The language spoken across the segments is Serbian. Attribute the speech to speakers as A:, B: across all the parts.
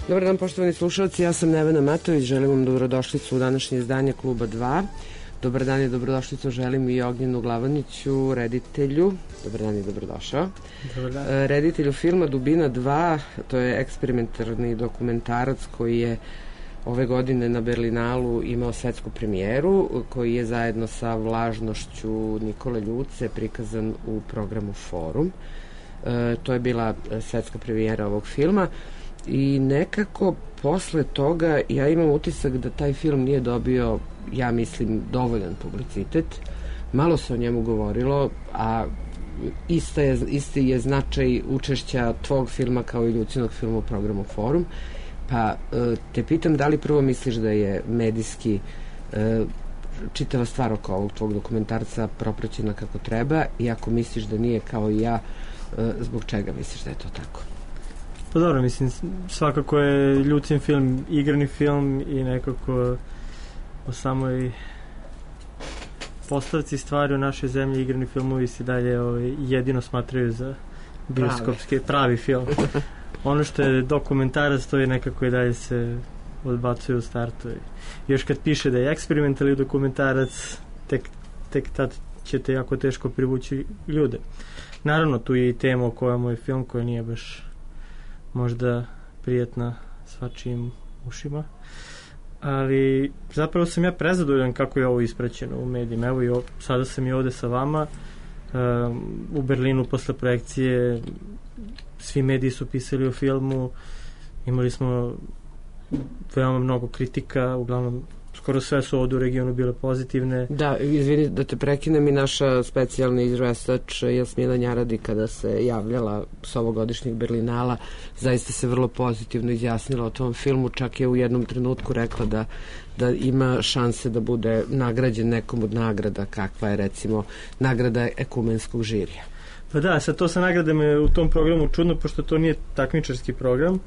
A: Dobar dan, poštovani slušalci, ja sam Nevena Matović, želim vam dobrodošlicu u današnje izdanje Kluba 2. Dobar dan i dobrodošlicu želim i Ognjenu Glavaniću, reditelju. Dobar dan i dobrodošao.
B: Dobar dan.
A: Reditelju filma Dubina 2, to je eksperimentarni dokumentarac koji je ove godine na Berlinalu imao svetsku premijeru, koji je zajedno sa Vlažnošću Nikole Ljuce prikazan u programu Forum. To je bila svetska premijera ovog filma i nekako posle toga ja imam utisak da taj film nije dobio, ja mislim, dovoljan publicitet. Malo se o njemu govorilo, a isti je značaj učešća tvog filma kao i Ljucinog filma u programu Forum. Pa te pitam da li prvo misliš da je medijski čitava stvar oko ovog tvog dokumentarca propraćena kako treba, i ako misliš da nije kao i ja, zbog čega misliš da je to tako?
B: Pa dobro, mislim, svakako je Ljucin film igrani film i nekako o samoj postavci stvari u našoj zemlji igrani filmovi se dalje jedino smatraju za bioskopski pravi film. Ono što je dokumentarac, to je nekako i dalje se odbacuje u startu. Još kad piše da je eksperimentalni dokumentarac, tek tad ćete jako teško privući ljude. Naravno, tu je i tema o kojoj moj film, koja nije baš možda prijetna svačijim ušima, ali zapravo sam ja prezadovoljan kako je ovo ispraćeno u medijima. Evo, sada sam i ovde sa vama u Berlinu posle projekcije, svi mediji su pisali o filmu, imali smo veoma mnogo kritika, uglavnom skoro sve su ovdje u regionu bile pozitivne.
A: Da, izvini da te prekinem, i naša specijalna izvestač Jasmina Njaradi, kada se javljala s ovogodišnjeg Berlinala, zaista se vrlo pozitivno izjasnila o tom filmu, čak je u jednom trenutku rekla da ima šanse da bude nagrađen nekom od nagrada, kakva je recimo nagrada ekumenskog žirija.
B: Pa da, sad to sa nagradama je u tom programu čudno, pošto to nije takmičarski program,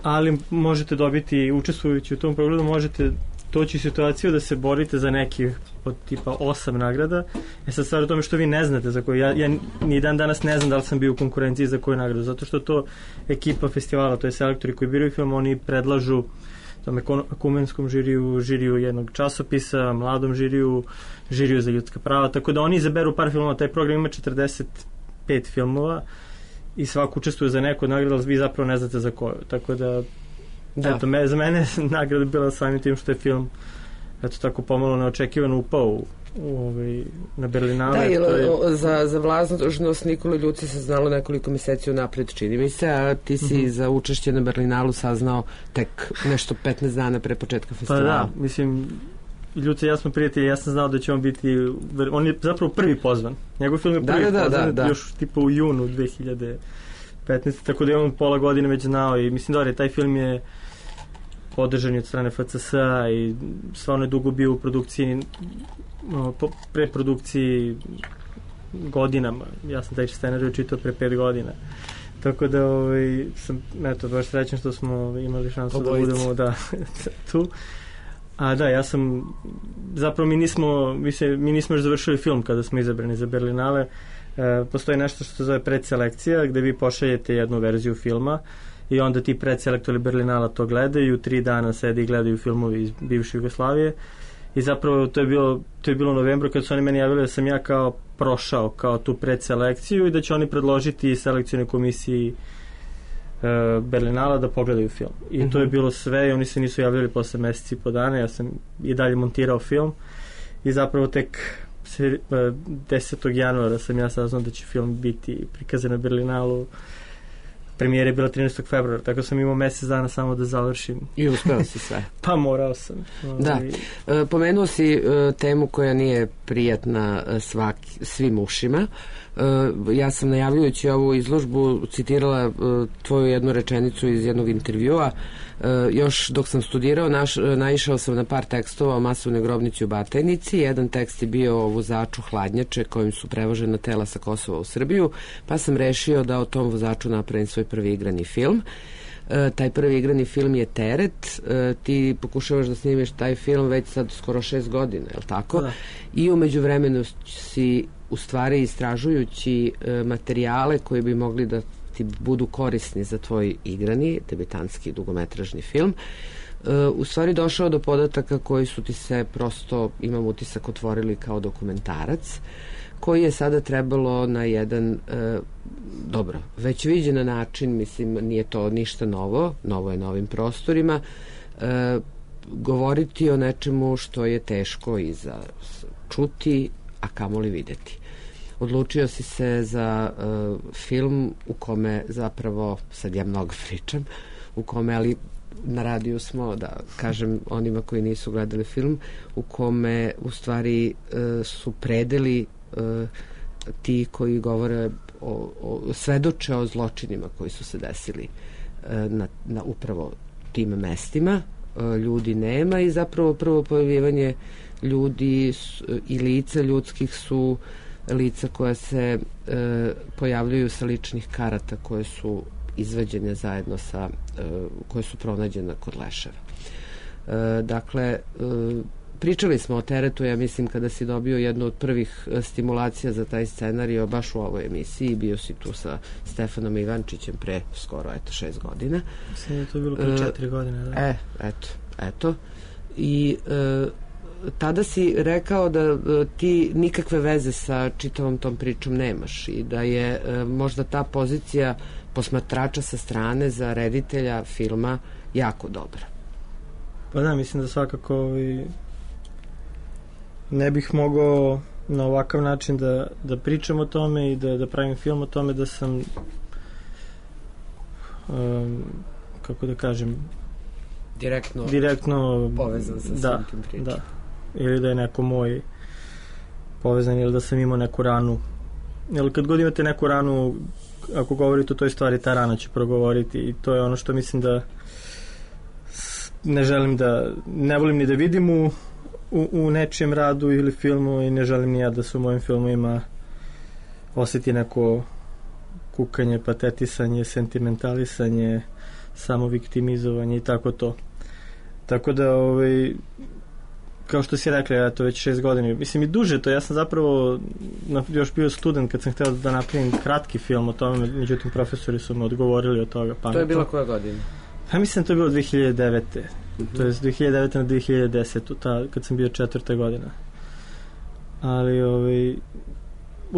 B: ali možete dobiti, učestvujući u tom programu, možete doći u situaciju da se borite za neki od tipa 8 nagrada. Sad stvar u tome što vi ne znate za koju. Ja ni dan danas ne znam da li sam bio u konkurenciji za koju nagradu, zato što to ekipa festivala, to je selektori koji biraju film, oni predlažu tom ekumenskom žiriju jednog časopisa, mladom žiriju za ljudska prava, tako da oni izaberu par filmova. Taj program ima 45 filmova i svako učestvuje za neku nagradu, ali vi zapravo ne znate za koju, tako da eto, za mene nagrada bila samim tim što je film tako pomalo neočekivano upao na Berlinale.
A: Da, za Vlažnost Nikole Ljuce se znalo nekoliko meseci unapred, čini mi se, a ti si za učešće na Berlinalu saznao tek nešto 15 dana pre početka festivala.
B: Pa da, mislim, Ljuce i ja smo prijatelji, ja sam znao da će on biti, on je zapravo prvi pozvan. Njegov film je prvi pozvan, još tipa u junu 2015. Tako da je on pola godine već znao i mislim da taj film je podržan od strane FCS-a i stvarno je dugo bio u produkciji, preprodukciji godinama. Ja sam taj scenarij čitao pre 5 godina. Tako da sam baš srećan što smo imali šansu da budemo tu. A da, ja sam zapravo mi nismo još završili film kada smo izabrani za Berlinale. Postoji nešto što se zove predselekcija, gde vi pošaljete jednu verziju filma i onda ti predselektori Berlinala to gledaju, 3 dana sedi i gledaju filmovi iz bivše Jugoslavije i zapravo to je bilo u novembru kad su oni meni javili da sam ja kao prošao kao tu predselekciju i da će oni predložiti selekcijnoj komisiji Berlinala da pogledaju film. I to je bilo sve i oni se nisu javljali posle meseci i po dana, ja sam i dalje montirao film i zapravo tek 10. januara sam ja saznao da će film biti prikazan na Berlinalu. Premijera je bila 13. februara, tako sam imao mesec dana samo da završim.
A: I uspeo si sve.
B: Pa morao sam.
A: Da. Pomenuo si temu koja nije prijatna svim ušima. Ja sam najavljujući ovu izložbu citirala tvoju jednu rečenicu iz jednog intervjua. Još dok sam studirao naišao sam na par tekstova o masovnoj grobnici u Batajnici. Jedan tekst je bio o vozaču hladnjače kojim su prevožena tela sa Kosova u Srbiju, pa sam rešio da o tom vozaču napravim svoj prvi igrani film. Taj prvi igrani film je Teret. Ti pokušavaš da snimiš taj film već sad skoro 6 godina, je li tako? Da. I umeđu vremenu si u stvari istražujući materijale koji bi mogli da ti budu korisni za tvoj igrani, debitanski dugometražni film, u stvari došao do podataka koji su ti se prosto, imam utisak, otvorili kao dokumentarac, koji je sada trebalo na jedan dobro, već viđen način, mislim, nije to ništa novo je na ovim prostorima, govoriti o nečemu što je teško i za čuti, a kamoli videti. Odlučio si se za film u kome zapravo, sad ja mnogo pričam, u kome, ali na radiju smo, da kažem onima koji nisu gledali film, u kome u stvari su predeli ti koji govore svedoče o zločinima koji su se desili na upravo tim mestima. Ljudi nema i zapravo prvo pojavljivanje ljudi i lica ljudskih su lica koja se pojavljuju sa ličnih karata koje su izvađene zajedno sa koje su pronađene kod leševa. Dakle, pričali smo o teretu, ja mislim, kada si dobio jednu od prvih stimulacija za taj scenario baš u ovoj emisiji, bio si tu sa Stefanom Ivančićem pre skoro 6 godina.
B: Mislim da je to bilo pre 4 godine. Da?
A: Eto. I tada si rekao da ti nikakve veze sa čitavom tom pričom nemaš i da je možda ta pozicija posmatrača sa strane za reditelja filma jako dobra.
B: Pa da, mislim da svakako ne bih mogao na ovakav način da pričam o tome i da pravim film o tome da sam kako da kažem direktno
A: povezan sa svim tim pričom.
B: Da, ili da je neko moj povezan ili da sam imao neku ranu. Ili kad god imate neku ranu, ako govorite o toj stvari, ta rana će progovoriti i to je ono što mislim da ne volim ni da vidim u nečijem radu ili filmu i ne želim ni ja da se u mojim filmovima osjeti neko kukanje, patetisanje, sentimentalisanje, samoviktimizovanje i tako to. Tako da, kao što si rekla, ja to već 6 godina, mislim i duže to, ja sam zapravo još bio student kad sam hteo da napravim kratki film o tome, međutim profesori su me odgovorili od toga.
A: To je bila koja godina?
B: Ja mislim da to je bilo 2009. To je 2009. na 2010. Kad sam bio 4. godina. Ali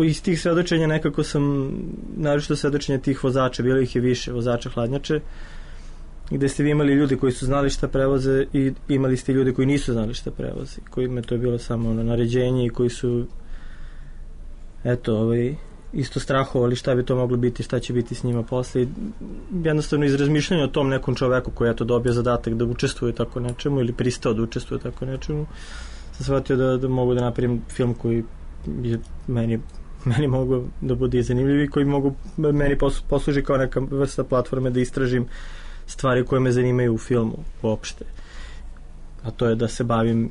B: iz tih svedočenja nekako sam, naročito svedočenja tih vozača, bilo ih je više, vozača hladnjače, gde ste vi imali ljudi koji su znali šta prevoze i imali ste ljudi koji nisu znali šta prevoze, kojima to je bilo samo naređenje i koji su isto strahovali šta bi to moglo biti, šta će biti s njima posle. Jednostavno iz razmišljanja o tom nekom čoveku koji je to dobio zadatak da učestvuje tako nečemu ili pristao da učestvuje tako nečemu, sam shvatio da mogu da napravim film koji je meni mogu da bude i zanimljiv i koji mogu meni posluži kao neka vrsta platforme da istražim stvari koje me zanimaju u filmu uopšte. A to je da se bavim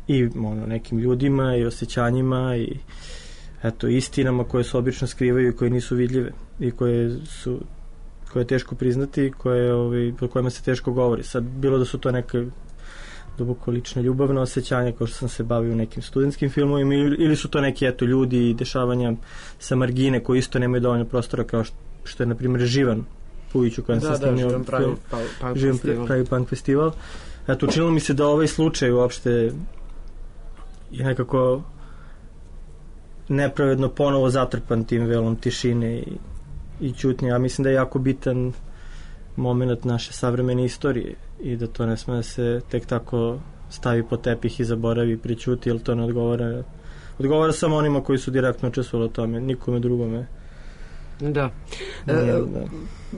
B: i nekim ljudima i osjećanjima i istinama koje se obično skrivaju i koje nisu vidljive i koje je teško priznati i o kojima se teško govori. Sad, bilo da su to neke duboko lične ljubavne osjećanja kao što sam se bavio u nekim studentskim filmovima ili su to neki ljudi i dešavanja sa margine koji isto nemaju dovoljno prostora kao što je na primjer Živan Pujić u kojem sam snimio Živan pravi punk festival. Učinilo mi se da ovaj slučaj uopšte je nekako nepravedno ponovo zatrpan tim velom tišine i ćutnje. Ja mislim da je jako bitan moment naše savremene istorije i da to ne sme da se tek tako stavi po tepih i zaboravi i prećuti, jer to ne odgovara samo onima koji su direktno učestvovali o tome, nikome drugome.
A: Da.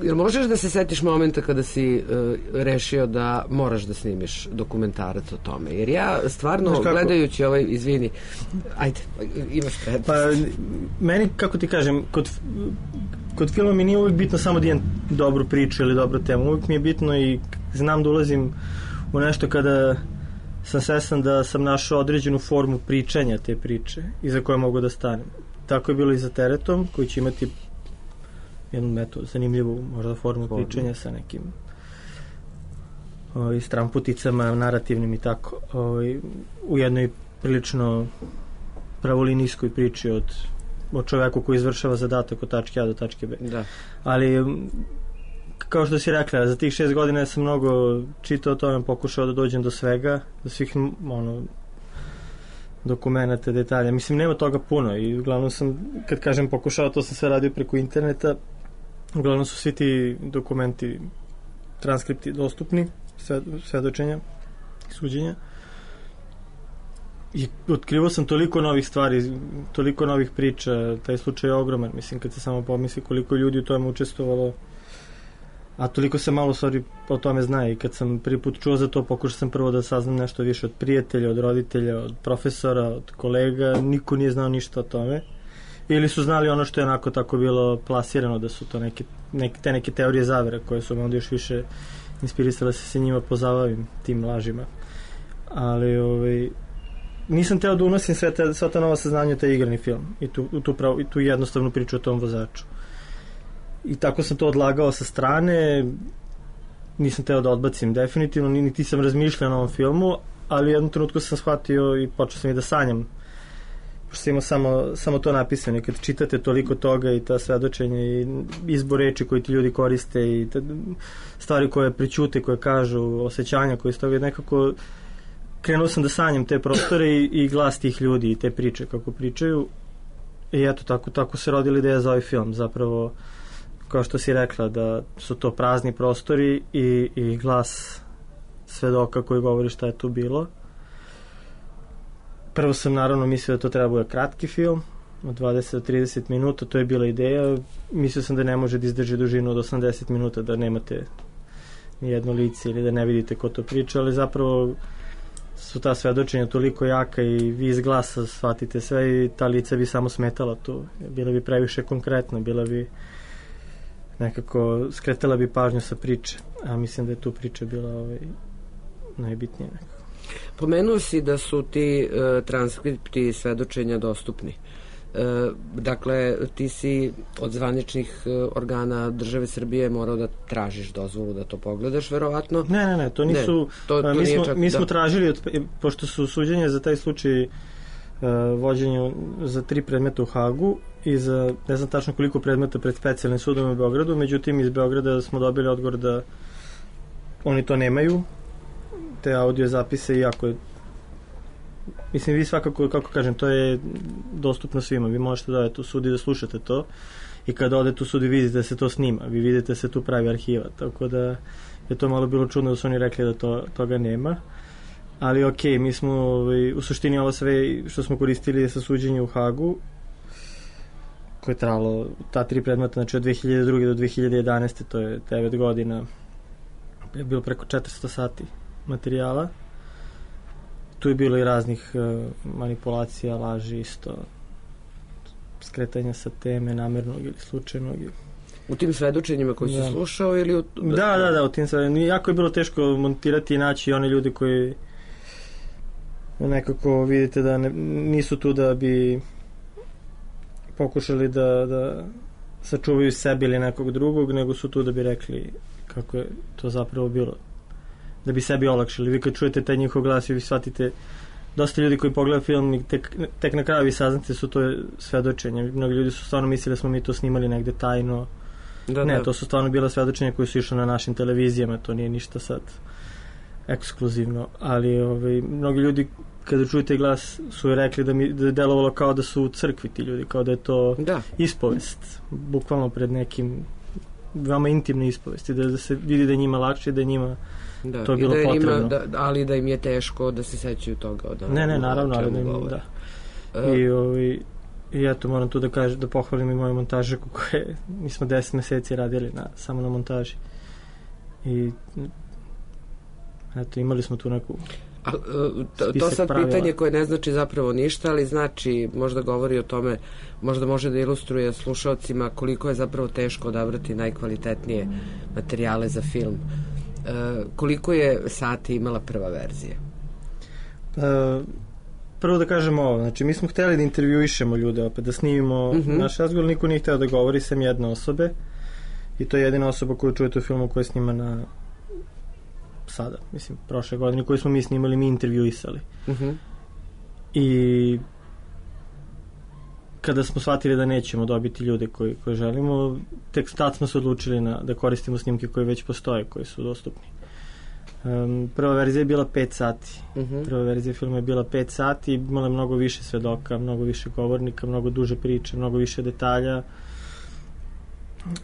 A: Jel možeš da se setiš momenta kada si rešio da moraš da snimiš dokumentarac o tome? Jer ja stvarno gledajući izvini, ajde, imaš prednost.
B: Pa meni, kako ti kažem, kod filma mi nije uvijek bitno samo da imam dobru priču ili dobru temu, uvijek mi je bitno i znam da ulazim u nešto kada sam svestan da sam našao određenu formu pričanja te priče i za koje mogu da stanem. Tako je bilo i za Teretom, koji će imati jednu zanimljivu možda formu pričanja sa nekim stramputicama narativnim i tako u jednoj prilično pravolinijskoj priči od o čoveku koji izvršava zadatak od tačke A do tačke B.
A: Da.
B: Ali kao što si rekla, za tih 6 godina ja sam mnogo čitao o tome, pokušao da dođem do svega, do svih dokumenata, detalja. Mislim, nema toga puno i uglavnom sam, kad kažem pokušao, to sam sve radio preko interneta, uglavnom su svi ti dokumenti, transkripti dostupni, svedočenja, suđenja. I otkrivao sam toliko novih stvari, toliko novih priča, taj slučaj je ogroman, mislim, kad se samo pomisli koliko ljudi u tome učestvovalo, a toliko se malo stvari o tome zna. I kad sam prvi put čuo za to, pokušao sam prvo da saznam nešto više od prijatelja, od roditelja, od profesora, od kolega, niko nije znao ništa o tome. Ili su znali ono što je onako tako bilo plasirano, da su to neke teorije zavere koje su me onda još više inspirisale se njima pozabavim, tim lažima. Ali nisam teo da unosim sva ta nova saznanja u taj igrani film i tu jednostavnu priču o tom vozaču. I tako sam to odlagao sa strane, nisam teo da odbacim definitivno, niti sam razmišljao na ovom filmu, ali u jednom trenutku sam shvatio i počeo sam i da sanjam, pošto sam imao samo to napisano. I kad čitate toliko toga i ta svedočenja i izbor reči koji ti ljudi koriste i stvari koje prećute, koje kažu, osjećanja koje iz toga, nekako krenuo sam da sanjam te prostore i glas tih ljudi i te priče kako pričaju. I eto, tako se rodila ideja za ovaj film. Zapravo, kao što si rekla, da su to prazni prostori i glas svedoka koji govori šta je tu bilo. Prvo sam naravno mislio da to treba bude kratki film od 20 do 30 minuta, to je bila ideja. Mislio sam da ne može da izdrži dužinu od 80 minuta, da nemate ni jedno lice ili da ne vidite ko to priča, ali zapravo su ta svedočenja toliko jaka i vi iz glasa shvatite sve i ta lica bi samo smetala tu. Bila bi previše konkretna, bila bi nekako, skretala bi pažnju sa priče, a mislim da je tu priča bila najbitnija nekako.
A: Pomenuo si da su ti transkripti svedočenja dostupni. Dakle, ti si od zvaničnih organa države Srbije morao da tražiš dozvolu da to pogledaš, verovatno?
B: Ne, to nisu... Mi smo tražili, pošto su suđenje za taj slučaj vođenju za 3 predmeta u Hagu i za ne znam tačno koliko predmeta pred specijalnim sudom u Beogradu, međutim iz Beograda smo dobili odgovor da oni to nemaju, te audio zapise, iako je, mislim, vi svakako, kako kažem, to je dostupno svima, vi možete da odete u sud i da slušate to i kada odete u sud i vidite da se to snima, vi vidite da se tu pravi arhiva, tako da je to malo bilo čudno da su oni rekli da toga nema. Ali okej, mi smo u suštini ovo sve što smo koristili sa suđenjem u Hagu, koje je trajalo ta 3 predmeta, znači od 2002. do 2011. to je 9 godina, je bilo preko 400 sati materijala. Tu je bilo i raznih manipulacija, laži isto, skretanja sa teme, namernog ili slučajnog.
A: U tim svedočenjima koji si slušao ili...
B: Da, u tim svedočenjima. Jako je bilo teško montirati i naći one ljudi koji nekako vidite da nisu tu da bi pokušali da sačuvaju sebe ili nekog drugog, nego su tu da bi rekli kako je to zapravo bilo, da bi sebi olakšali. Vi kad čujete taj njihov glas i vi shvatite, dosta ljudi koji pogledaju film i tek na kraju vi saznate su to svedočenje. Mnogi ljudi su stvarno mislili da smo mi to snimali negde tajno. To su stvarno bila svedočenja koji su išli na našim televizijama, to nije ništa sad ekskluzivno, ali mnogi ljudi kada čujete glas su rekli da je delovalo kao da su u crkvi ti ljudi, kao da je to ispovest, bukvalno pred nekim veoma intimne ispovesti, da se vidi da je njima lakše, da je njima to je bilo potrebno.
A: Ali da im je teško da se sećaju toga.
B: Ne, naravno, ali da im I eto, moram tu da pohvalim i moju montažaku koje mi smo 10 meseci radili samo na montaži. I eto, imali smo tu neku
A: to sad pravila. Pitanje koje ne znači zapravo ništa, ali znači, možda govori o tome, možda može da ilustruje slušalcima koliko je zapravo teško odabrati najkvalitetnije materijale za film. Koliko je sati imala prva verzija?
B: Prvo da kažemo ovo, znači mi smo hteli da intervjuišemo ljude opet, da snimimo naš razgovor, niko nije hteo da govori sem jedne osobe i to je jedina osoba koju čujete u filmu koja je snimana sada, mislim, prošle godine, koju smo mi snimali, mi intervjuisali. I kada smo shvatili da nećemo dobiti ljude koji želimo, tek tad smo se odlučili da koristimo snimke koje već postoje, koji su dostupni. Prva verzija je bila 5 sati. Prva verzija filma je bila 5 sati, imala mnogo više svedoka, mnogo više govornika, mnogo duže priče, mnogo više detalja.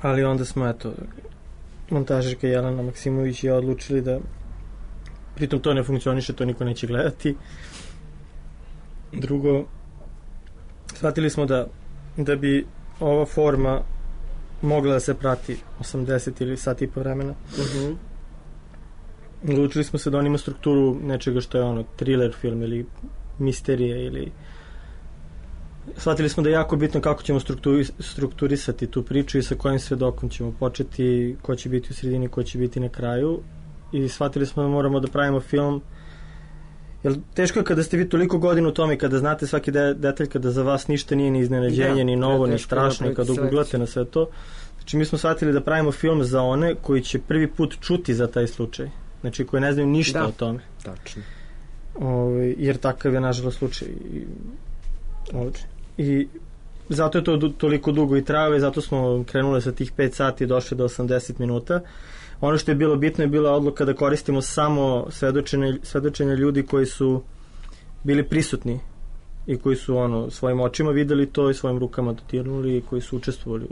B: Ali onda smo, montažerka Jelena Maksimović je odlučili da pritom to ne funkcioniše, to niko neće gledati. Drugo, shvatili smo da bi ova forma mogla da se prati 80 ili sat i po vremena. Odlučili smo se da on ima strukturu nečega što je thriller film ili misterije ili... Shvatili smo da je jako bitno kako ćemo strukturisati tu priču i sa kojim svedokom ćemo početi, ko će biti u sredini, ko će biti na kraju, i shvatili smo da moramo da pravimo film, jer teško je kada ste vi toliko godina u tome, kada znate svaki detalj, kada za vas ništa nije ni iznenađenje, ni novo, ni strašno, i kada uguglate na sve to. Znači mi smo shvatili da pravimo film za one koji će prvi put čuti za taj slučaj, znači koji ne znaju ništa o tome.
A: Tačno.
B: Jer takav je nažalost slučaj i zato je to toliko dugo i trajalo, i zato smo krenuli sa tih 5 sati i došli do 80 minuta. Ono što je bilo bitno je bila odluka da koristimo samo svedočenja ljudi koji su bili prisutni i koji su svojim očima videli to i svojim rukama dotirnuli i koji su učestvovali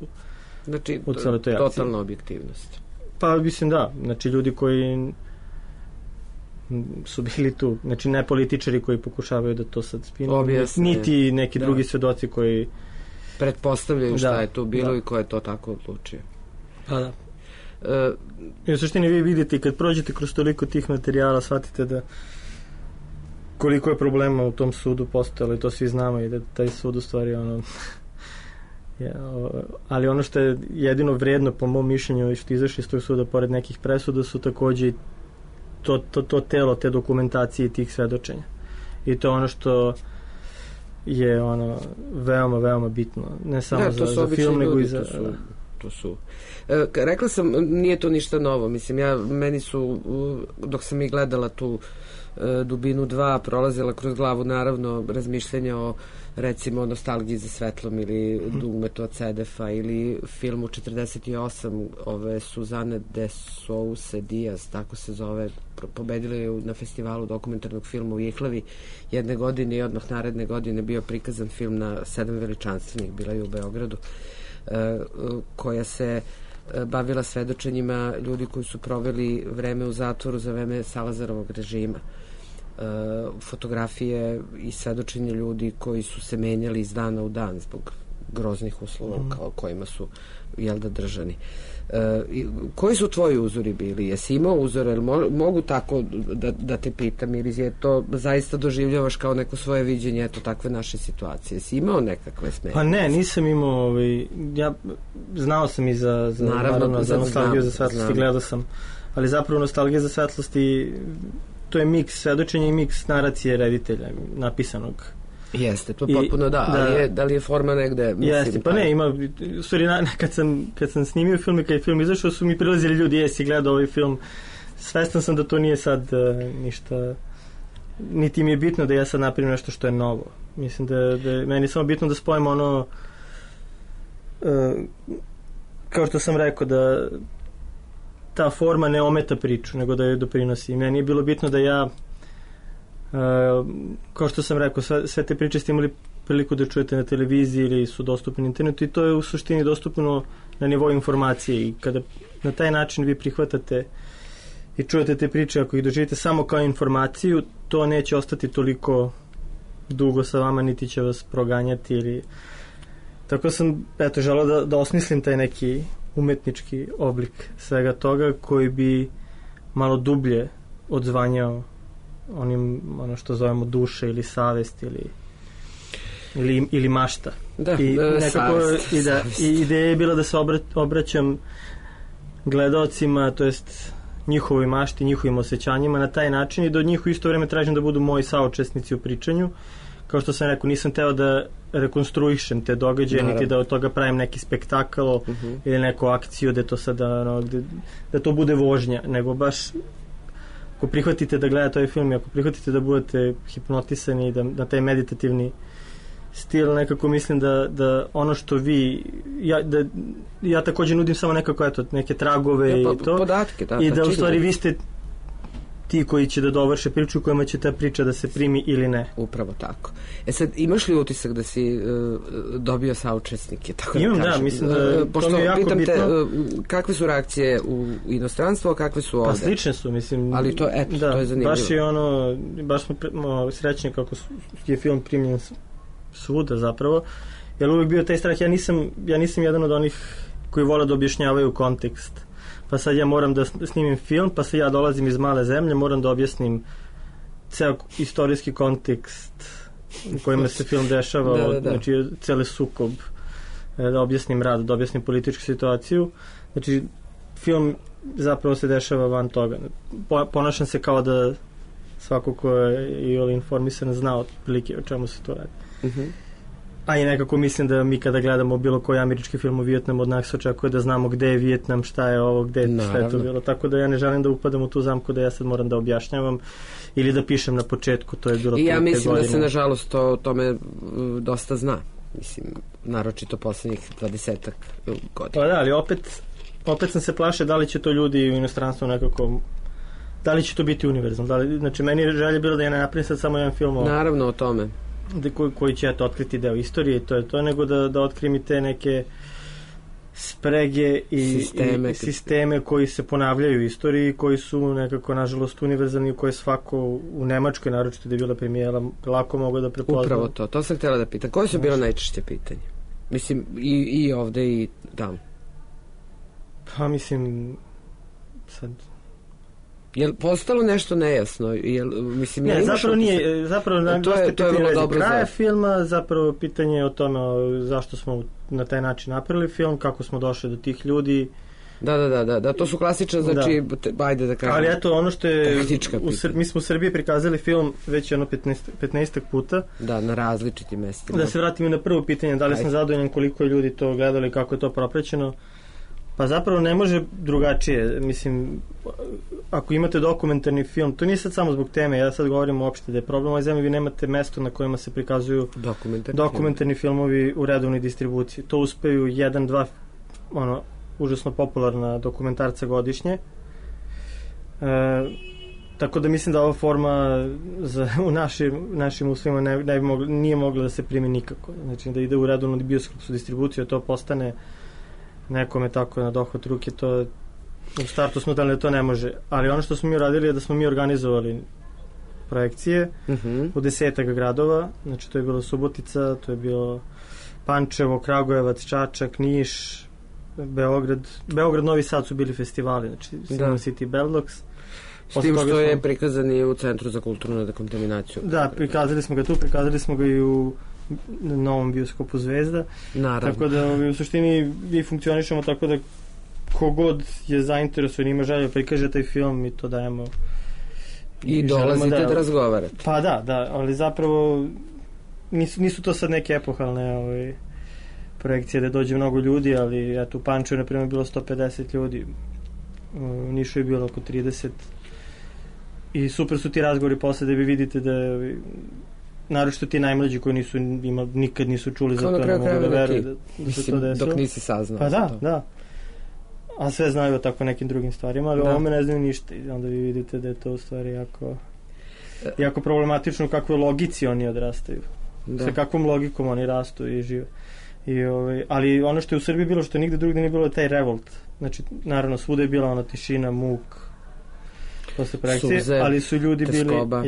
B: u celoj toj akciji.
A: Totalna objektivnost.
B: Pa mislim da, znači ljudi koji su bili tu, znači ne političari koji pokušavaju da to sad spinu, niti neki drugi svedoci koji
A: pretpostavljaju šta je tu bilo i ko je to tako odlučio.
B: Pa da. I u suštini vi vidite, kad prođete kroz toliko tih materijala, shvatite da koliko je problema u tom sudu postojalo, i to svi znamo, i da taj sud u stvari ali ono što je jedino vredno po mom mišljenju što izašli iz tog suda pored nekih presuda su takođe to telo te dokumentacije i tih svedočenja, i to ono što je veoma, veoma bitno, ne samo za film, nego i za...
A: To su. Rekla sam, nije to ništa novo, mislim, meni su, dok sam i gledala tu Dubinu 2, prolazila kroz glavu naravno razmišljanja o, recimo, Nostalgiji za svetlom ili Dugmetu od Sedefa ili filmu 48 ove Suzane de Sousa Diaz, tako se zove, pobedila je na festivalu dokumentarnog filma u Ihlavi jedne godine i odmah naredne godine bio prikazan film na 7 veličanstvenih, bila je u Beogradu, koja se bavila svedočenjima ljudi koji su proveli vreme u zatvoru za vreme Salazarovog režima. Fotografije i svedočenje ljudi koji su se menjali iz dana u dan zbog groznih uslova kojima su držani. Koji su tvoji uzori bili? Jesi imao uzore? Mogu tako da te pitam, ili je to zaista doživljavaš kao neko svoje viđenje takve naše situacije? Jesi imao nekakve smetnje?
B: Pa ne, nisam imao ja znao sam i za Nostalgiju za svetlosti, gledao sam, ali zapravo Nostalgija za svetlosti to je miks svedočenja i miks naracije reditelja napisanog.
A: Jeste, to potpuno da li je forma negde?
B: Jeste, pa ne, ima, u stvari, kad sam snimio film i kad je film izašao, su mi prilazili ljudi, jesi gledao ovaj film, svestan sam da to nije sad ništa, niti mi je bitno da ja sad napravim nešto što je novo. Mislim da je meni samo bitno da spojim kao što sam rekao, da ta forma ne ometa priču, nego da je doprinosi. Meni je bilo bitno da ja kao što sam rekao, sve te priče ste imali priliku da čujete na televiziji ili su dostupni na internetu, i to je u suštini dostupno na nivou informacije, i kada na taj način vi prihvatate i čujete te priče, ako ih doživite samo kao informaciju, to neće ostati toliko dugo sa vama, niti će vas proganjati ili... Tako sam, želeo da osmislim taj neki umetnički oblik svega toga koji bi malo dublje odzvanjao ono što zovemo duše ili savest ili mašta. I nekako ideja je bila da se obraćam gledaocima, to jest njihovoj mašti, njihovim osjećanjima na taj način, i da od njih u isto vreme tražim da budu moji saučesnici u pričanju. Kao što sam rekao, nisam teo da rekonstruišem te događaje, niti da od toga pravim neki spektakl ili neku akciju da to sada da to bude vožnja, nego baš ako prihvatite da gledate ovaj film i ako prihvatite da budete hipnotisani i da na taj meditativni stil, nekako mislim da ono što vi ja također nudim samo nekako neke tragove i to
A: podatke,
B: i da u stvari vi ste ti koji će da dovrše priču u kojima će ta priča da se primi ili ne.
A: Upravo tako. Sad, imaš li utisak da si dobio saučesnike? Tako
B: imam, da, mislim da
A: pošto
B: to mi je jako bitno.
A: Kakve su reakcije u inostranstvu, a kakve su ovde?
B: Pa slične su, mislim.
A: Ali to, to je zanimljivo.
B: Baš smo srećni kako je film primljen svuda zapravo, jer uvijek bio taj strah. Ja nisam jedan od onih koji vole da objašnjavaju kontekst. Pa sad ja moram da snimim film, pa sad ja dolazim iz male zemlje, moram da objasnim ceo istorijski kontekst u kojima se film dešava, znači cele sukob, da objasnim rad, da objasnim političku situaciju. Znači, film zapravo se dešava van toga. Ponašam se kao da svako ko je informisan zna otprilike o čemu se to radi. A i nekako mislim da mi kada gledamo bilo koji američki film o Vijetnamu, od nas očekuje da znamo gde je Vijetnam, šta je ovo, šta je to bilo. Tako da ja ne želim da upadam u tu zamku da ja sad moram da objašnjavam ili da pišem na početku, to je bilo
A: i ja mislim da se nažalost o tome dosta zna. Mislim, naročito poslednjih 20-ak godina.
B: Pa da, ali opet sam se plašio da li će to ljudi u inostranstvu nekako, da li će to biti univerzalno. Znači, meni je želje bilo da ja ne napravim sad samo jedan film
A: naravno o tome.
B: Koji će otkriti deo istorije i to je to, nego da otkrim i te neke sprege i sisteme koji se ponavljaju u istoriji, koji su nekako nažalost univerzalni, u koje svako u Nemačkoj, naročito da je bila premijera, lako mogu da prepozna.
A: Upravo to sam htjela da pitam. Koje su bilo najčešće pitanje? Mislim, i ovde i tamo.
B: Pa mislim, sad...
A: Je li postalo nešto nejasno?
B: Ne, zapravo nije. Zapravo
A: to je vrlo dobro
B: kraja filma, zapravo pitanje je o tome zašto smo na taj način napravili film, kako smo došli do tih ljudi.
A: Da, to su klasične, znači, ajde da kažem.
B: Ali eto, ono što je, mi smo u Srbiji prikazali film već 15 puta.
A: Da, na različitim mestima.
B: Da se vratimo na prvo pitanje, da li sam zadovoljan koliko je ljudi to gledali, kako je to propraćeno. Pa zapravo ne može drugačije. Mislim, ako imate dokumentarni film, to nije sad samo zbog teme, ja sad govorim uopšte da je problem ovoj zemlji, vi nemate mesto na kojima se prikazuju dokumentarni filmovi u redovnoj distribuciji. To uspeju 1-2 užasno popularna dokumentarca godišnje. Tako da mislim da ova forma u našim uslovima nije mogla da se primi nikako. Znači da ide u redovnu bioskopsku distribuciju, to postane nekome tako na dohvat ruke, to u startu smo dali da to ne može, ali ono što smo mi uradili je da smo mi organizovali projekcije u 10 gradova, znači to je bilo Subotica, to je bilo Pančevo, Kragujevac, Čačak, Niš, Beograd, Novi Sad su bili festivali, znači Cinema City, Beldox.
A: S tim što je prikazan i u Centru za kulturnu dekontaminaciju.
B: Da, prikazali smo ga tu, prikazali smo ga i u novom bioskopu Zvezda.
A: Naravno.
B: Tako da u suštini mi funkcionišemo tako da kogod je zainteresovan, ima želje prikaže taj film, mi to dajemo.
A: I dolazite da razgovarate.
B: Pa da, ali zapravo nisu to sad neke epohalne projekcije da dođe mnogo ljudi, ali eto u Pančevu na primjer bilo 150 ljudi, u Nišu je bilo oko 30 i super su ti razgovori posle da vi vidite da naročito ti najmlađi koji nikad nisu čuli za to, ne mogu da veruju da se to desilo.
A: Dok nisi saznao.
B: Pa da. A sve znaju o tako nekim drugim stvarima, ali ovome ne znaju ništa i onda vi vidite da je to u stvari jako problematično u kakvoj logici oni odrastaju. Sa kakvom logikom oni rastu i žive. Ali ono što je u Srbiji bilo, što nigde drugde nije bilo, je taj revolt. Znači, naravno, svuda je bila ona tišina, muk posle projekcije,
A: suze,
B: ali su ljudi
A: teskoba.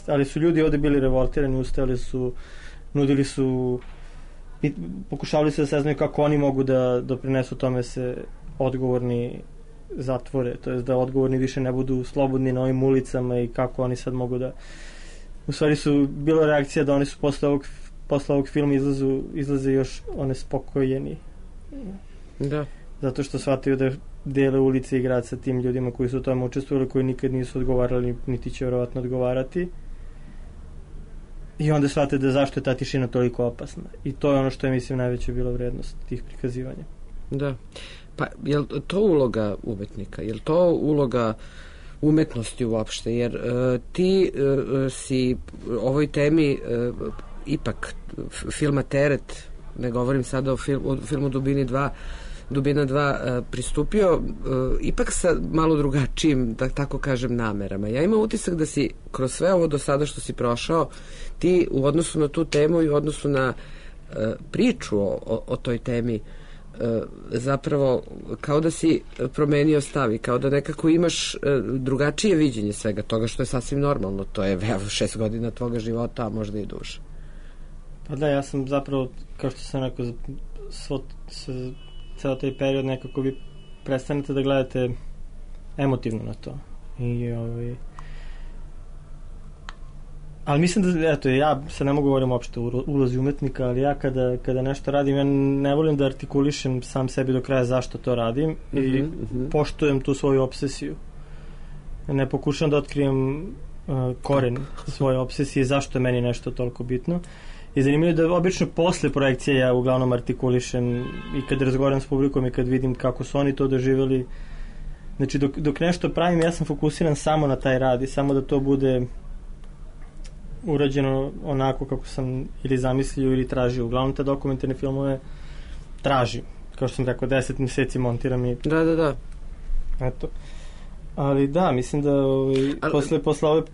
B: Ali su ljudi ovde bili revoltirani, ustajali su, nudili su, pokušavali se da saznaju kako oni mogu da doprinesu tome se odgovorni zatvore, to jest da odgovorni više ne budu slobodni na ovim ulicama i kako oni sad mogu da... U stvari su bila reakcija da oni su posle ovog filma izlaze još one spokojeni.
A: Da.
B: Zato što shvataju da dele ulice i grad sa tim ljudima koji su u tome učestvovali, koji nikad nisu odgovarali, niti će vjerovatno odgovarati. I onda shvate da zašto je ta tišina toliko opasna. I to je ono što je, mislim, najveća bila vrednost tih prikazivanja.
A: Da. Pa, je li to uloga umetnika? Je li to uloga umetnosti uopšte? Jer ti si ovoj temi ipak filma Teret, ne govorim sada o filmu Dubina 2 pristupio ipak sa malo drugačijim, da tako kažem, namerama. Ja imam utisak da si kroz sve ovo do sada što si prošao, ti u odnosu na tu temu i u odnosu na priču o toj temi zapravo kao da si promenio stav i kao da nekako imaš drugačije viđenje svega toga, što je sasvim normalno. To je 6 godina tvoga života, a možda i duže.
B: Pa da, ja sam zapravo, kao što sam rekao, ceo taj period nekako vi prestanete da gledate emotivno na to. Ali mislim da, eto, ja se ne mogu govorim uopšte o ulozi umetnika, ali ja kada nešto radim, ja ne volim da artikulišem sam sebi do kraja zašto to radim i poštujem tu svoju obsesiju. Ne pokušam da otkrijem koren svoje obsesije, zašto je meni nešto toliko bitno. I zanimljivo je da obično posle projekcije ja uglavnom artikulišem i kad razgovaram s publikom i kad vidim kako su oni to doživjeli. Znači dok nešto pravim, ja sam fokusiran samo na taj rad i samo da to bude urađeno onako kako sam ili zamislio ili tražio. Uglavnom te dokumentarne filmove tražim. Kao što sam rekao, 10 mjeseci montiram i...
A: Da.
B: Eto. Ali da, mislim da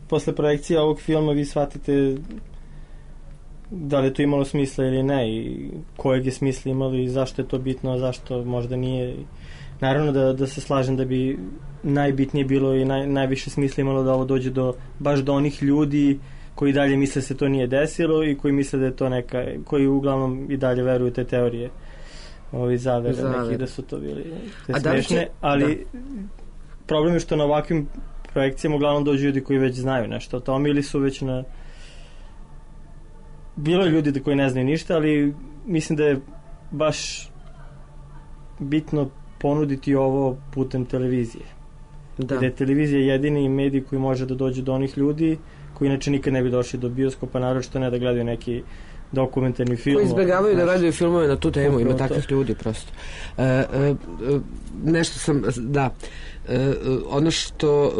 B: posle projekcije ovog filma vi shvatite da li je to imalo smisla ili ne i kojeg je smisla imalo i zašto je to bitno, a zašto možda nije. Naravno da se slažem da bi najbitnije bilo i najviše smisla imalo da ovo dođe baš do onih ljudi koji dalje misle se to nije desilo i koji misle da je to neka, koji uglavnom i dalje veruju te teorije zavere neki da su to bili smešne, ali problem je što na ovakvim projekcijama uglavnom dođu ljudi koji već znaju nešto o tome ili su već bilo je ljudi koji ne znaju ništa, ali mislim da je baš bitno ponuditi ovo putem televizije. Da je televizija jedini medij koji može da dođe do onih ljudi koji inače nikad ne bi došli do bioskopa, naročito ne da gledaju neki dokumentarni film.
A: Koji izbjegavaju da gledaju filmove na tu temu, ima takvih ljudi prosto. Nešto sam, da, ono što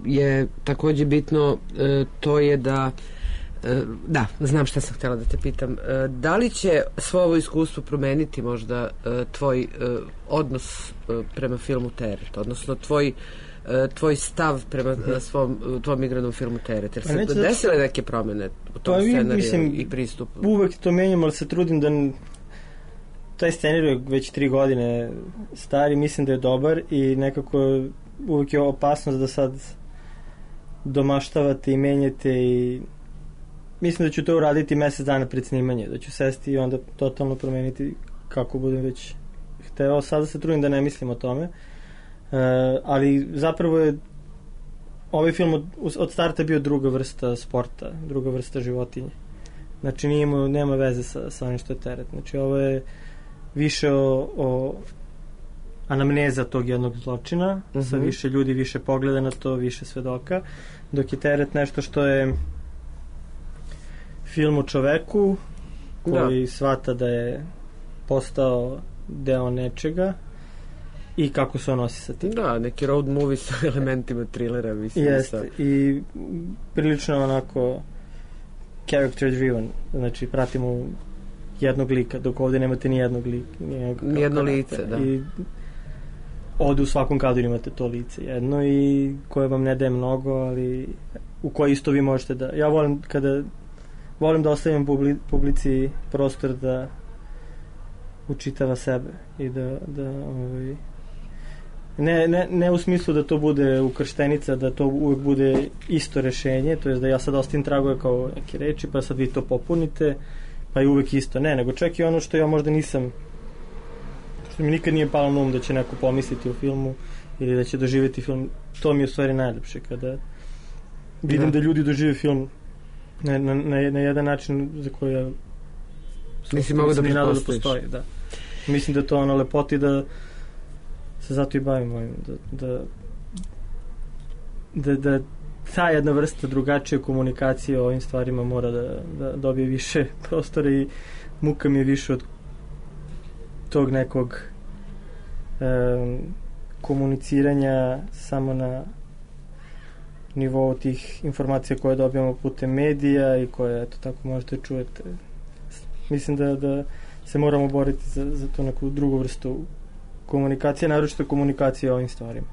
A: je također bitno, to je da znam šta sam htjela da te pitam. Da li će svo ovo iskustvo promeniti možda tvoj odnos prema filmu Teret, odnosno tvoj stav prema tvom igranom filmu Teret? Jer se desile neke promjene u tom scenariju i pristupu?
B: Uvek to menjam, ali se trudim da taj scenarij je već 3 godine stari, mislim da je dobar i nekako uvek je opasnost da sad domaštavate i menjate i mislim da ću to uraditi mjesec dana pred snimanje, da ću sesti i onda totalno promeniti kako budem već hteo. Sada se trudim da ne mislim o tome, ali zapravo je ovaj film od starta bio druga vrsta sporta, druga vrsta životinje. Znači nema veze sa onim što je Teret. Znači ovo je više o anamneza tog jednog zločina, sa više ljudi, više pogleda na to, više svedoka, dok je Teret nešto što je film o čoveku koji shvata da je postao deo nečega i kako se on nosi sa tim.
A: Da, neki road movie sa elementima trilera, mislim.
B: Jeste, i prilično onako character driven, znači pratimo jednog lika, dok ovdje nemate ni jednog lika.
A: Ni jedno lice, da.
B: I ovdje u svakom kadru imate to lice jedno i koje vam ne daje mnogo, ali u koje isto vi možete da... Ja volim da ostavim publici prostor da učitava sebe i da ne u smislu da to bude ukrštenica, da to uvek bude isto rešenje, to je da ja sad ostavim tragove kao neke reči, pa sad vi to popunite, pa je uvek isto. Ne, nego čak i ono što ja možda nisam, što mi nikad nije palo na um da će neko pomisliti o filmu ili da će doživjeti film, to mi je u stvari najljepše, kada vidim da ljudi dožive film na jedan način za koji ja
A: nisi mogu da pretpostaviš.
B: Da. Mislim da to lepoti da se zato i bavim ovim, da ta jedna vrsta drugačije komunikacije o ovim stvarima mora da dobije više prostora i muka mi je više od tog nekog komuniciranja samo nivou tih informacija koje dobijamo putem medija i koje, eto, tako možete čujete. Mislim da se moramo boriti za tu neku drugu vrstu komunikacije, naročito komunikacije o ovim stvarima.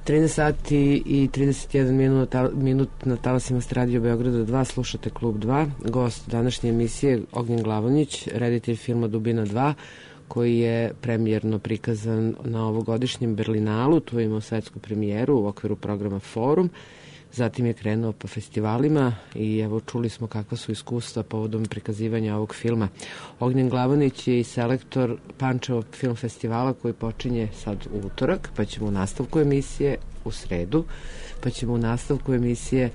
A: 13 sati i 31 minut na talasima Radio Beograda 2, slušate Klub 2. Gost današnje emisije Ognjen Glavonjić, reditelj filma Dubina 2, koji je premijerno prikazan na ovogodišnjem Berlinalu. Tu je imao svetsku premijeru u okviru programa Forum. Zatim je krenuo po festivalima i evo čuli smo kakva su iskustva povodom prikazivanja ovog filma. Ognjen Glavonjić je i selektor Pančevo film festivala koji počinje sad u utorak, pa ćemo u nastavku emisije u sredu, pa ćemo u nastavku emisije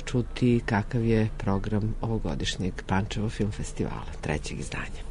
A: čuti kakav je program ovogodišnjeg Pančevo film festivala, 3. izdanja.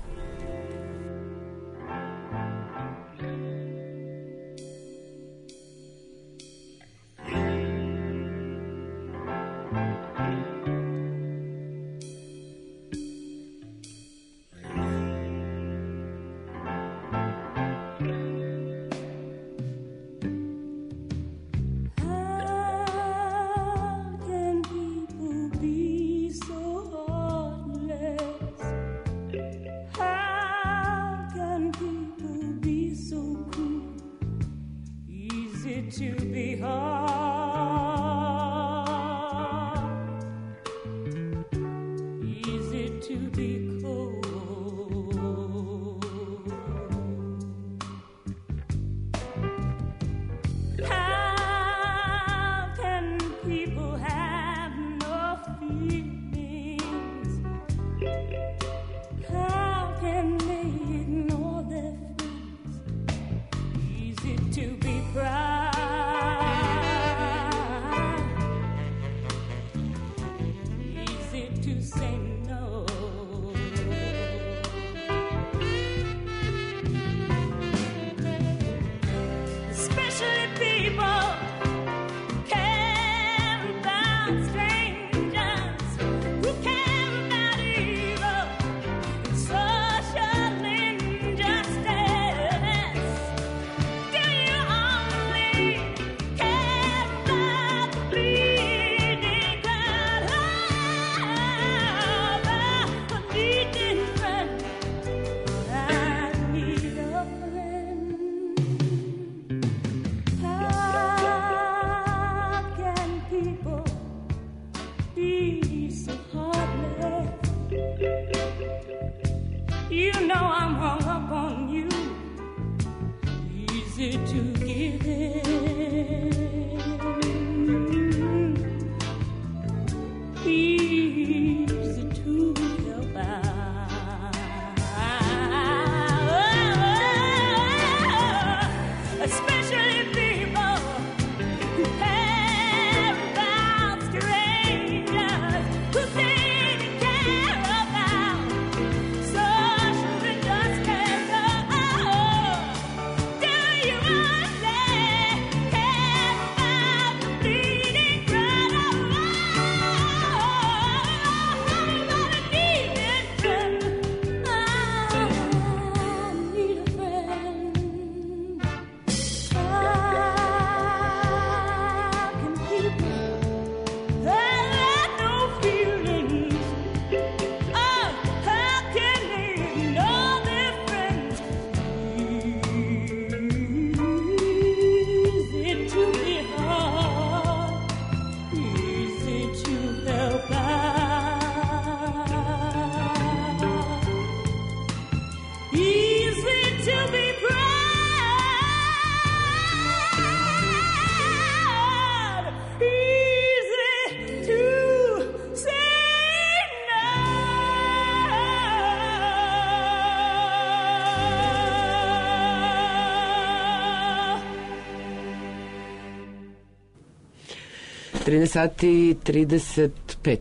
A: Sati i 35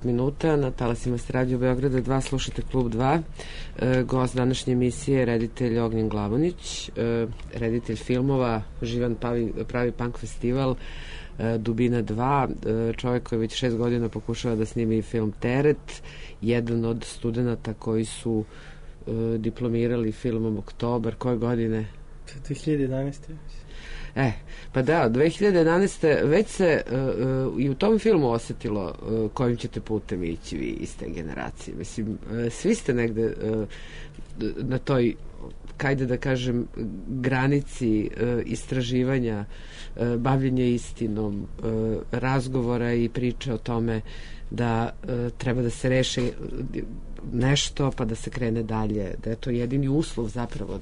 A: minuta na talasima Radio Beograda 2, slušate Klub 2. Gost današnje emisije je reditelj Ognjen Glavonjić, reditelj filmova Živan pravi punk festival, Dubina 2, čovjek koji već 6 godina pokušava da snimi film Teret, jedan od studenta koji su diplomirali filmom Oktobar, koje godine?
B: 2011.
A: Pa da, 2011. već se i u tom filmu osetilo kojim ćete putem ići vi iz te generacije. Mislim, svi ste negde na toj, kajde da kažem, granici istraživanja, bavljenja istinom, razgovora i priče o tome da treba da se reše nešto pa da se krene dalje, da je to jedini uslov zapravo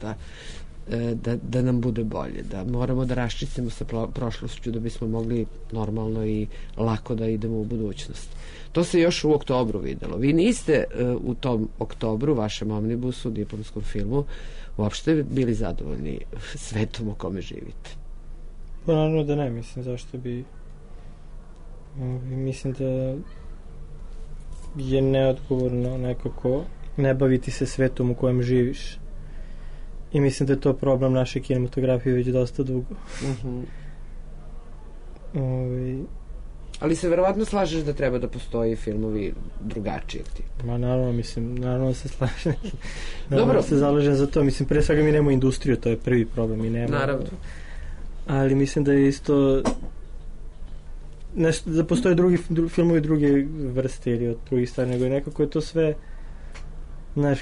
A: da nam bude bolje, da moramo da raščistimo sa prošlošću da bismo mogli normalno i lako da idemo u budućnost. To se još u oktobru videlo. Vi niste u tom oktobru, vašem omnibusu, diplomskom filmu, uopšte bili zadovoljni svetom u kome živite.
B: Pa naravno da ne, mislim, zašto bi... Mislim da je neodgovorno nekako ne baviti se svetom u kojem živiš. I mislim da je to problem naše kinematografije već dosta dugo.
A: Ali se verovatno slažeš da treba da postoji filmovi drugačijeg tipa.
B: Ma naravno se slažem. Dobro. Se zalažem za to. Mislim, pre svega mi nemamo industriju, to je prvi problem. Mi nemamo.
A: Naravno.
B: Ali mislim da je isto da postoje drugi filmovi druge vrste ili od drugih stvari, nego je nekako je to sve, znaš,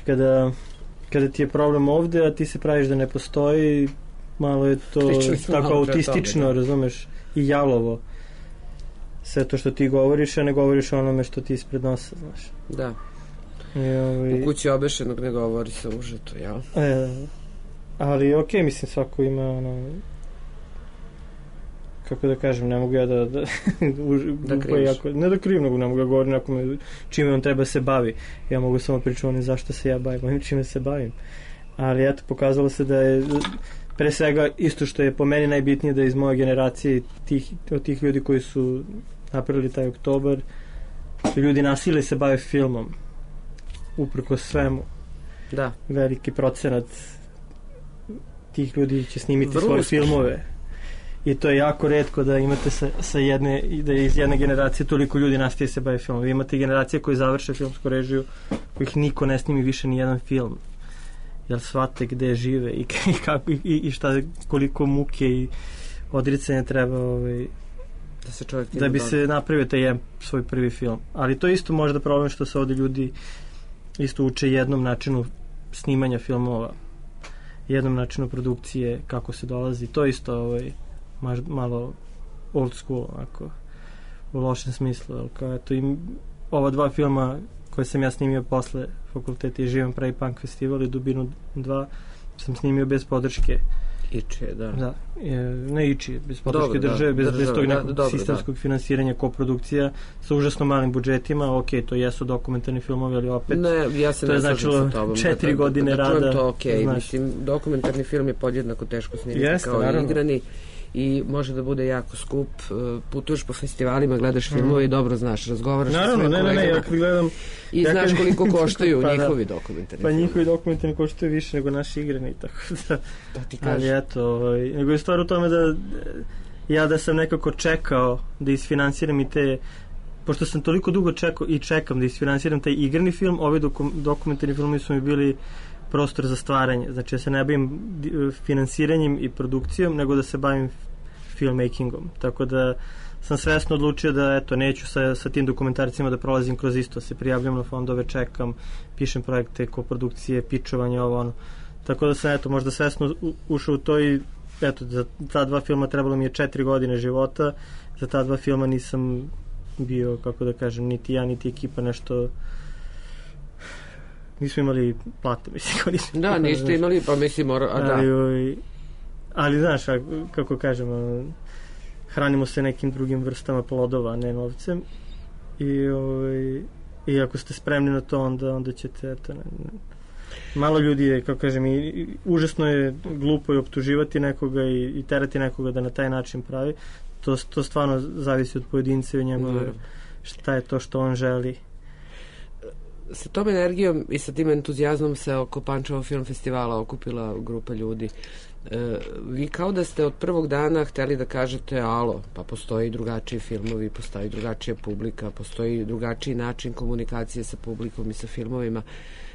B: kada ti je problem ovde, a ti se praviš da ne postoji, malo je to tako autistično, razumeš, i jalovo. Sve to što ti govoriš, a ne govoriš o onome što ti ispred nosa, znaš.
A: Da. U kući obešenog ne govori se užeto, jel?
B: Ali okej, mislim, svako ima ono... Kako da kažem, ne mogu ja da
A: kriviš.
B: Ne da krivim, nego ne mogu da govorim nekome čime on treba se bavi. Ja mogu samo pričati zašto se ja bavim, onim čime se bavim. Ali eto, pokazalo se da je pre svega isto što je po meni najbitnije, da iz moje generacije od tih ljudi koji su napravili taj oktobar, ljudi nasile se bave filmom uprko svemu.
A: Da.
B: Veliki procenat tih ljudi će snimiti svoje filmove. I to je jako retko da imate da je iz jedne generacije toliko ljudi nastaje se bave filmom. Vi imate generacije koji završe filmsku režiju, kojih niko ne snimi više ni jedan film. Jer shvate gde žive i kako i šta, koliko muke i odricanja treba da bi se napravio taj svoj prvi film. Ali to je isto možda problem što se ovde ljudi isto uče jednom načinu snimanja filmova, jednom načinu produkcije, kako se dolazi. To isto malo old school, onako, u lošem smislu. Kao, eto, ova dva filma koje sam ja snimio posle fakulteta i Živan pravi punk festival i Dubinu 2 sam snimio bez podrške
A: Ičije, da.
B: Da, ne Ičije, bez podrške države, bez tog nekog sistemskog finansiranja, koprodukcija sa užasno malim budžetima. Ok, to jesu dokumentarni filmovi, ali opet to je značilo 4 godine rada.
A: To mislim, dokumentarni film je podjednako teško snimiti kao igrani i može da bude jako skup. Putuješ po festivalima, gledaš filmove i dobro znaš, razgovaraš sa sve kolegama.
B: Ja gledam
A: i znaš koliko koštaju njihovi dokumentarni filmovi.
B: Pa njihovi dokumentarni koštaju više nego naši igrani, tako da. Ali eto, nego je stvar u tome da ja da sam nekako čekao da isfinansiram i te, pošto sam toliko dugo čekao i čekam da isfinansiram taj igrani film, ovi dokumentarni filmovi su mi bili prostor za stvaranje. Znači, ja se ne bavim finansiranjem i produkcijom, nego da se bavim filmmakingom. Tako da sam svesno odlučio da, eto, neću sa tim dokumentarcima da prolazim kroz isto. Se prijavljam na fondove, čekam, pišem projekte, koprodukcije, pičovanje, ovo, ono. Tako da sam, eto, možda svesno ušao u to i, eto, za ta dva filma trebalo mi je 4 godine života. Za ta dva filma nisam bio, kako da kažem, niti ja, niti ekipa nešto... Nismo imali plate, mislim.
A: Da, niste imali, pa mislim,
B: ali znaš, kako kažemo, hranimo se nekim drugim vrstama plodova, ne novcem. I ako ste spremni na to, onda ćete, eto, malo ljudi je, kako kažem, i užasno je glupo i optuživati nekoga i terati nekoga da na taj način pravi. To stvarno zavisi od pojedinca i njegove, šta je to što on želi.
A: Sa tom energijom i sa tim entuzijazmom se oko Pančevog film festivala okupila grupa ljudi. Vi kao da ste od prvog dana hteli da kažete alo, pa postoji drugačiji filmovi, postoji drugačija publika, postoji drugačiji način komunikacije sa publikom i sa filmovima.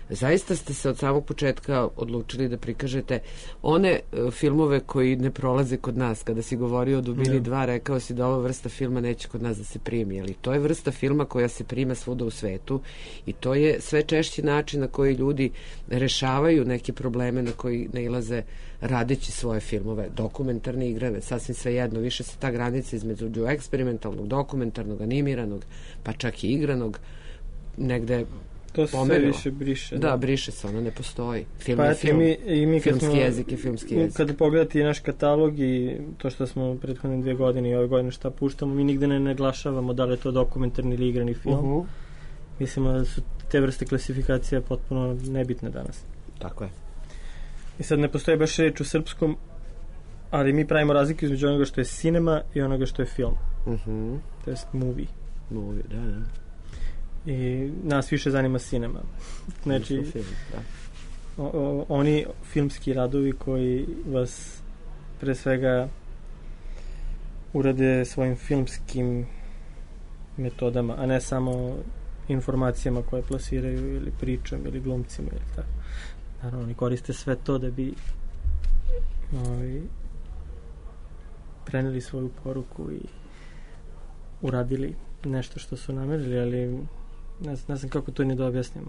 A: zaista ste se od samog početka odlučili da prikažete one filmove koji ne prolaze kod nas. Kada si govorio o Dubini 2, rekao si da ova vrsta filma neće kod nas da se primi, ali to je vrsta filma koja se prima svuda u svetu i to je sve češći način na koji ljudi rešavaju neke probleme na koji nailaze radeći svoje filmove, dokumentarne igrane, sasvim svejedno, više se ta granica između eksperimentalnog, dokumentarnog, animiranog, pa čak i igranog, negde
B: to se sve više briše.
A: Da, briše se, ono ne postoji. Film
B: pa
A: je film,
B: mi
A: filmski jezik je filmski jezik.
B: Kada pogledati naš katalog i to što smo prethodne 2 godine i ove godine šta puštamo, mi nigde ne naglašavamo da li je to dokumentarni ili igrani film. Mislimo da su te vrste klasifikacija potpuno nebitne danas.
A: Tako je.
B: I sad ne postoji baš reč u srpskom, ali mi pravimo razliku između onoga što je cinema i onoga što je film. To jest movie.
A: Movie, da.
B: I nas više zanima cinema. Znači,
A: film, da.
B: Oni filmski radovi koji vas pre svega urade svojim filmskim metodama, a ne samo informacijama koje plasiraju ili pričom ili glumcima ili tako. Naravno, oni koriste sve to da bi preneli svoju poruku i uradili nešto što su namerili, ali ne znam kako to ni da objasnim.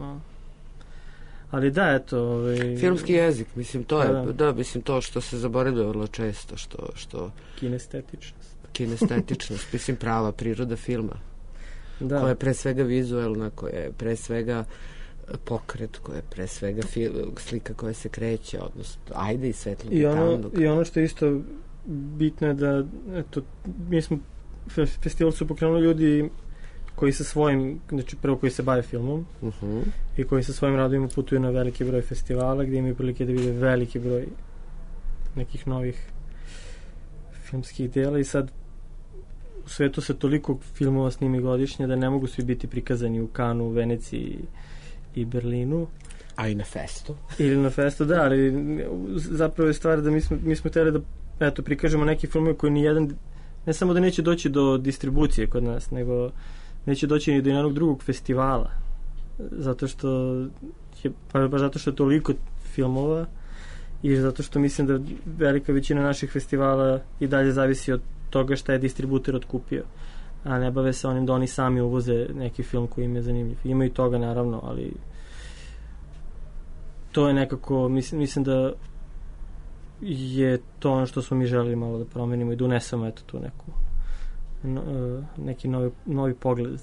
B: Ali da, eto...
A: Filmski jezik, mislim, to je, da, mislim, to što se zaboravlja vrlo često, što... Kinestetičnost, mislim, prava priroda filma. Da. Koja je pre svega vizuelna, koja je pre svega pokret, koja je pre svega slika koja se kreće, odnosno ajde i svetlog i tamnog.
B: I ono što je isto bitno je da, eto, mi smo, festival su pokrenuli ljudi koji sa svojim, znači prvo koji se bave filmom i koji sa svojim radovima putuju na veliki broj festivala gdje imaju prilike da vide veliki broj nekih novih filmskih dela i sad u svetu se toliko filmova snimi godišnje da ne mogu svi biti prikazani u Kanu, Veneciji i Berlinu.
A: A i na festu.
B: Ili na festu, da, ali zapravo je stvar da mi smo htjeli da eto, prikažemo neki filmove koji nijedan, ne samo da neće doći do distribucije kod nas, nego neće doći ni do jednog drugog festivala. Zato što je, pa zato što je toliko filmova i zato što mislim da velika većina naših festivala i dalje zavisi od toga šta je distributer otkupio, a ne bave se onim da oni sami uvoze neki film koji im je zanimljiv. Ima i toga naravno, ali to je nekako, mislim da je to ono što smo mi želeli malo da promenimo i da unesemo eto tu neki novi pogled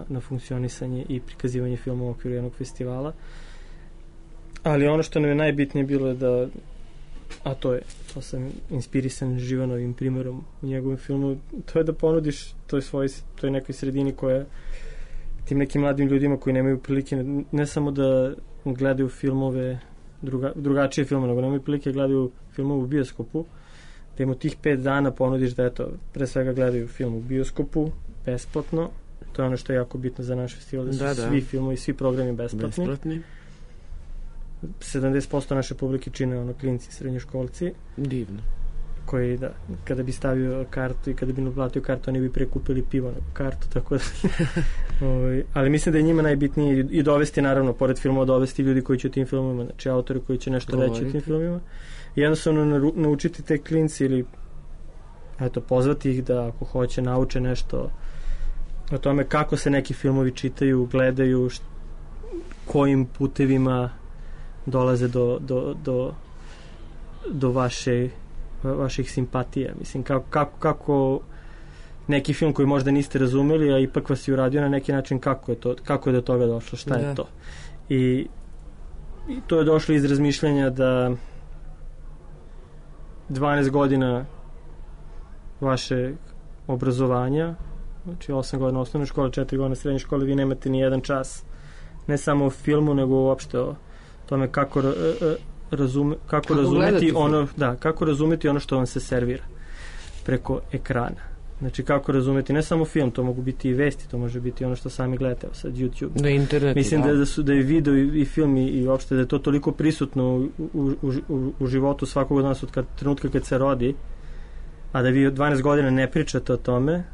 B: na funkcionisanje i prikazivanje filma u okviru jednog festivala. Ali ono što nam je najbitnije bilo je da, a to sam inspirisan Živanovim primjerom u njegovom filmu, to je da ponudiš toj nekoj sredini koja tim nekim mladim ljudima koji nemaju prilike ne samo da gledaju filmove drugačije filmove, nego nemaju prilike gledaju filmove u bioskopu, da im u tih 5 dana ponudiš da eto, pre svega gledaju film u bioskopu besplatno, to je ono što je jako bitno za naš festival, da su svi filmovi, svi programi besplatni. 70% naše publike čine klinci, srednjoškolci.
A: Divno.
B: Koji, da, kada bi stavio kartu i kada bi naplatio kartu, oni bi prekupili pivo na kartu, tako da ali mislim da je njima najbitnije i dovesti, naravno, pored filmova, dovesti ljudi koji će o tim filmovima, znači autori koji će nešto reći o tim filmovima i jednostavno naučiti te klinci ili eto, pozvati ih da ako hoće nauče nešto o tome kako se neki filmovi čitaju, gledaju, kojim putevima dolaze do vaših simpatija. Mislim, kako neki film koji možda niste razumeli, a ipak vas je uradio na neki način, kako je do toga došlo, šta je to. I to je došlo iz razmišljanja da 12 godina vaše obrazovanja, znači 8 godina osnovne škole, 4 godina srednje škole, vi nemate ni jedan čas, ne samo o filmu, nego uopšte o tome kako razumeti ono što vam se servira preko ekrana. Znači kako razumeti ne samo film, to mogu biti i vesti, to može biti ono što sami gledate, sad YouTube.
A: Na internetu.
B: Mislim da je video i film i uopšte da je to toliko prisutno u životu svakog od nas od trenutka kad se rodi, a da vi 12 godina ne pričate o tome.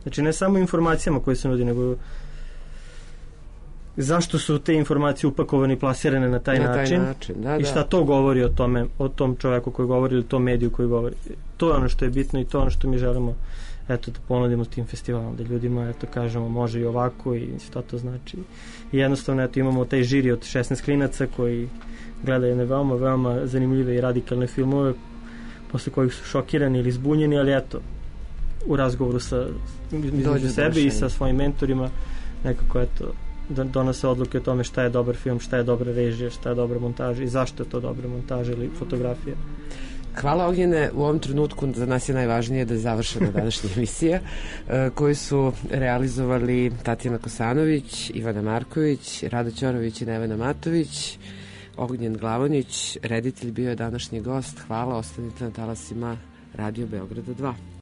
B: Znači ne samo informacijama koje se nudi, nego zašto su te informacije upakovane i plasirane na taj način i šta to govori o tome, o tom čoveku koji govori ili tom mediju koji govori. To je ono što je bitno i to je ono što mi želimo da ponudimo s tim festivalom, da ljudima kažemo može i ovako i šta to znači. I jednostavno imamo taj žiri od 16 klinaca koji gledaju jedne veoma, veoma zanimljive i radikalne filmove posle kojih su šokirani ili zbunjeni, ali u razgovoru između sebe i sa svojim mentorima nekako donose odluke o tome šta je dobar film, šta je dobra režija, šta je dobra montaža i zašto je to dobra montaža ili fotografija.
A: Hvala Ognjene, u ovom trenutku za nas je najvažnije da je završena današnja emisija koju su realizovali Tatjana Kosanović, Ivana Marković, Rada Ćorović i Nevena Matović. Ognjen Glavonjić, reditelj, bio je današnji gost. Hvala, ostanite na talasima Radio Beograda 2.